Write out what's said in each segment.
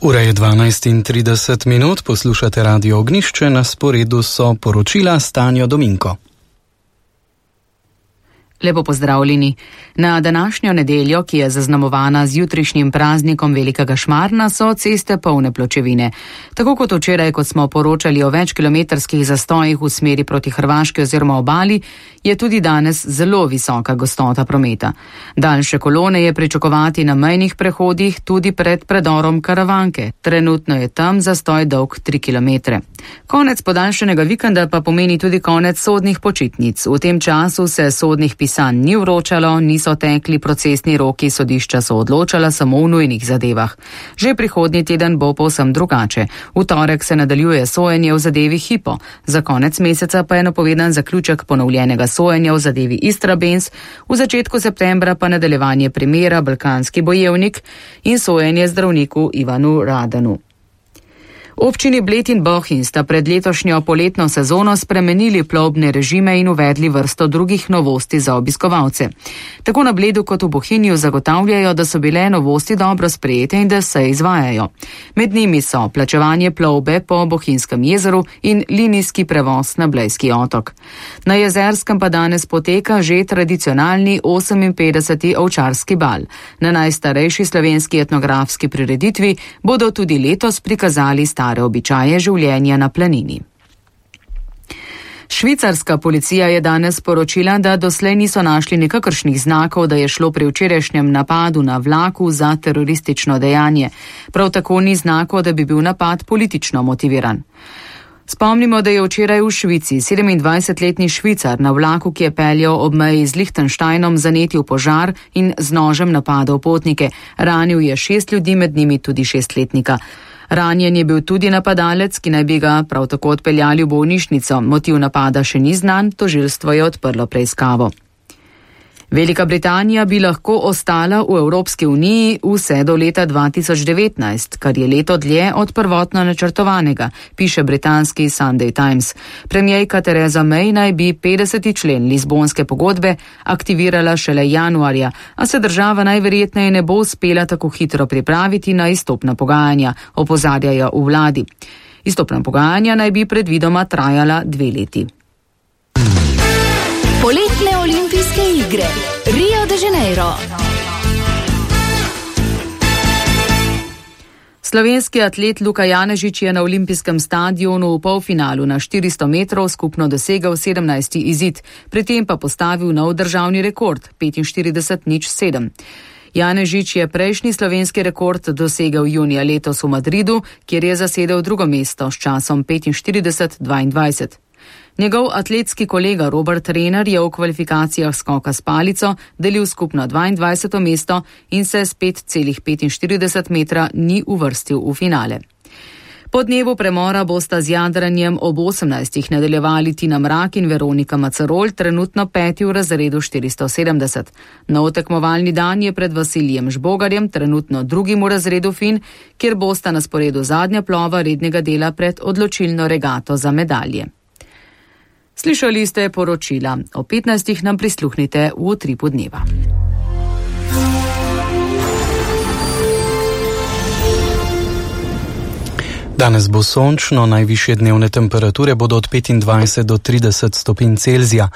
Ura je 12:30, poslušate Radio Ognjišče, na sporedu so poročila s Tanjo Dominko. Lepo pozdravljeni. Na današnjo nedeljo, ki je zaznamovana z jutrišnjim praznikom Velikega Šmarna, so ceste polne pločevine. Tako kot včeraj, ko smo poročali o večkilometrskih zastojih v smeri proti Hrvaški oziroma obali, je tudi danes zelo visoka gostota prometa. Daljše kolone je pričakovati na mejnih prehodih tudi pred predorom Karavanke. Trenutno je tam zastoj dolg 3 km. Konec podaljšanega vikenda pa pomeni tudi konec sodnih počitnic. V tem času se sodnih pisanj ni vročalo, niso tekli procesni roki, sodišča so odločala samo v nujnih zadevah. Že prihodnji teden bo povsem drugače. V torek se nadaljuje sojenje v zadevi Hypo. Za konec meseca pa je napovedan zaključek ponovljenega sojenja v zadevi Istrabenz, v začetku septembra pa nadaljevanje primera Balkanski bojevnik in sojenje zdravniku Ivanu Radanu. Občini Bled in Bohinj sta pred letošnjo poletno sezono spremenili plovbne režime in uvedli vrsto drugih novosti za obiskovalce. Tako na Bledu kot v Bohinju zagotavljajo, da so bile novosti dobro sprejete in da se izvajajo. Med njimi so plačevanje plovbe po Bohinjskem jezeru in linijski prevoz na Blejski otok. Na Jezerskem pa danes poteka že tradicionalni 58. ovčarski bal. Na najstarejši slovenski etnografski prireditvi bodo tudi letos prikazali stare običaje življenja na planini. Švicarska policija je danes sporočila, da doslej niso našli nikakršnih znakov, da je šlo pri včerajšnjem napadu na vlaku za teroristično dejanje. Prav tako ni znakov, da bi bil napad politično motiviran. Spomnimo, da je včeraj v Švici 27-letni Švicar na vlaku, ki je peljal ob meji z Lichtensteinom, zanetil požar in z nožem napadal potnike. Ranil je 6 ljudi, med njimi tudi 6-letnika. Ranjen je bil tudi napadalec, ki naj bi ga prav tako odpeljali v bolnišnico. Motiv napada še ni znan, tožilstvo je odprlo preiskavo. Velika Britanija bi lahko ostala v Evropski uniji vse do leta 2019, kar je leto dlje od prvotno načrtovanega, piše britanski Sunday Times. Premierka Theresa May naj bi 50. člen Lizbonske pogodbe aktivirala šele januarja, a se država najverjetneje ne bo uspela tako hitro pripraviti na izstopna pogajanja, opozarjajo v vladi. Izstopna pogajanja naj bi predvidoma trajala 2 leti. Poletne olimpijske igre Rio de Janeiro. Slovenski atlet Luka Janežič je na olimpijskem stadionu v polfinalu na 400 metrov skupno dosegel 17. izid, pri tem pa postavil nov državni rekord 45:07. Janežič je prejšnji slovenski rekord dosegel junija letos v Madridu, kjer je zasedel drugo mesto s časom 45:22. Njegov atletski kolega Robert Rener je v kvalifikacijah skoka s palico delil skupno 22. mesto in se s 5,45 metra ni uvrstil v finale. Po dnevu premora bosta z jadranjem ob 18. nadaljevali Tina Mrak in Veronika Macarol, trenutno 5. v razredu 470. Nov tekmovalni dan je pred Vasilijem Žbogarjem, trenutno 2. v razredu Fin, kjer bosta na sporedu zadnja plova rednega dela pred odločilno regato za medalje. Slišali ste poročila. O 15. nam prisluhnite v Utripu dneva. Danes bo sončno, najvišje dnevne temperature bodo od 25 do 30 stopinj Celzija.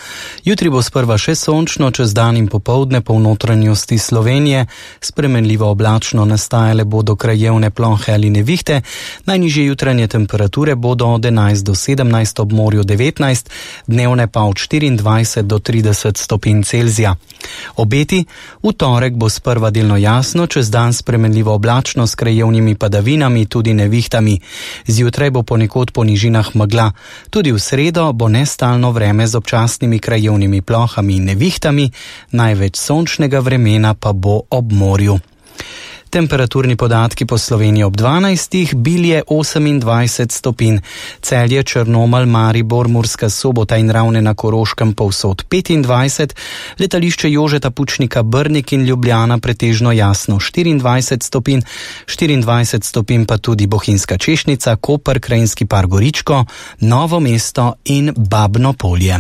Jutri bo sprva še sončno, čez dan in popoldne po notranjosti Slovenije. Spremenljivo oblačno, nastajale bodo krajevne plohe ali nevihte. Najnižje jutranje temperature bodo od 11 do 17, ob morju 19, dnevne pa od 24 do 30 stopinj Celzija. Obeti: v torek bo sprva delno jasno, čez dan spremenljivo oblačno s krajevnimi padavinami, tudi nevihtami. Zjutraj bo ponekod po nižinah megla. Tudi v sredo bo nestalno vreme z občasnimi krajevnimi plohami in nevihtami, največ sončnega vremena pa bo ob morju. Temperaturni podatki po Sloveniji ob 12. Bilje 28 stopinj, Celje, Črnomelj, Maribor, Murska Sobota in Ravne na Koroškem povsod 25, letališče Jožeta Pučnika Brnik in Ljubljana pretežno jasno 24 stopinj, 24 stopinj pa tudi Bohinjska Češnica, Koper, Krajinski par Goričko, Novo mesto in Babno Polje.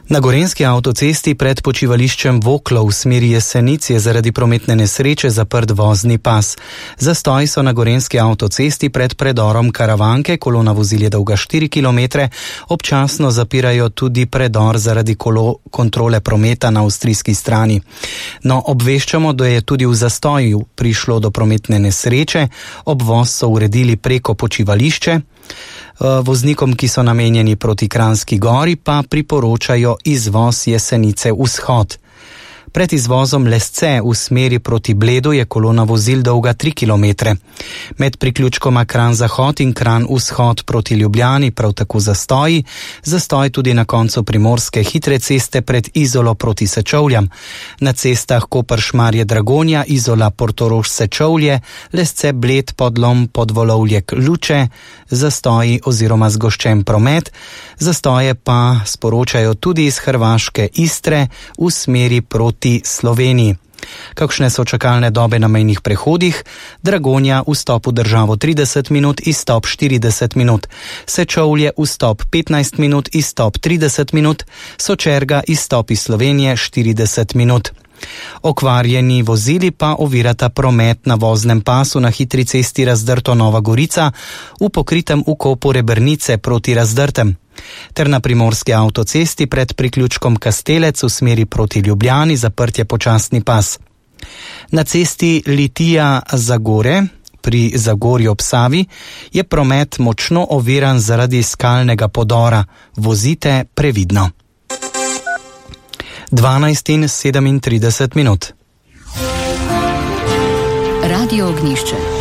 Na gorenjski avtocesti pred počivališčem Voklo v smeri Jesenic je zaradi prometne nesreče zaprt vozni pas. Zastoji so na gorenjski avtocesti pred predorom Karavanke, kolona vozil je dolga 4 km, občasno zapirajo tudi predor zaradi kontrole prometa na avstrijski strani. No, obveščamo, da je tudi v zastoju prišlo do prometne nesreče, obvoz so uredili preko počivališče. Voznikom, ki so namenjeni proti Kranjski Gori, pa priporočajo izvoz Jesenice vzhod. Pred izvozom Lesce v smeri proti Bledu je kolona vozil dolga 3 km. Med priključkoma Kranj-Zahod in Kranj-Vzhod proti Ljubljani prav tako zastoj tudi na koncu primorske hitre ceste pred Izolo proti Sečovljam. Na cestah Koper-Šmarje-Dragonja, Izola-Portorož-Sečovlje, Lesce-Bled, Podlom, Podvolovlje-Luče, zastoji oziroma zgoščen promet. Zastoje pa sporočajo tudi iz hrvaške Istre v smeri proti Sloveniji. Kakšne so čakalne dobe na mejnih prehodih? Dragonja vstop v državo 30 minut, izstop 40 minut. Sečovlje vstop 15 minut, izstop 30 minut. Sočerga izstop iz Slovenije 40 minut. Okvarjeni vozili pa ovirata promet na voznem pasu na hitri cesti Razdrto Nova Gorica v pokritem ukopu Rebrnice proti Razdrtem ter na primorski avtocesti pred priključkom Kastelec v smeri proti Ljubljani zaprt je počasni pas. Na cesti Litija-Zagore pri Zagorju ob Savi je promet močno oviran zaradi skalnega podora. Vozite previdno. 12:37 minut. Radio Ognjišče.